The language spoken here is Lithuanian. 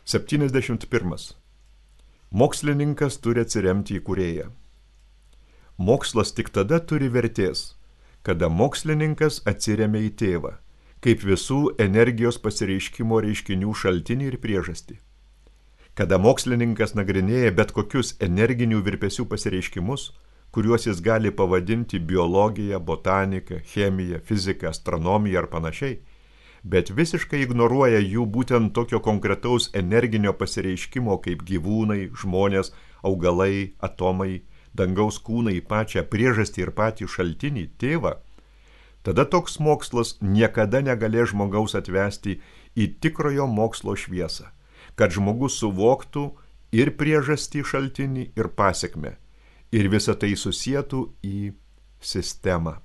71. Mokslininkas turi atsiremti į kūrėją. Mokslas tik tada turi vertės, kada mokslininkas atsiremia į tėvą, kaip visų energijos pasireiškimo reiškinių šaltinį ir priežastį. Kada mokslininkas nagrinėja bet kokius energinių virpesių pasireiškimus, kuriuos jis gali pavadinti biologija, botanika, chemija, fizika, astronomija ar panašiai, bet visiškai ignoruoja jų būtent tokio konkretaus energinio pasireiškimo kaip gyvūnai, žmonės, augalai, atomai, dangaus kūnai, pačią priežastį ir patį šaltinį, tėvą, tada toks mokslas niekada negalės žmogaus atvesti į tikrojo mokslo šviesą, kad žmogus suvoktų ir priežastį šaltinį, ir pasekmę, ir visą tai susietų į sistemą.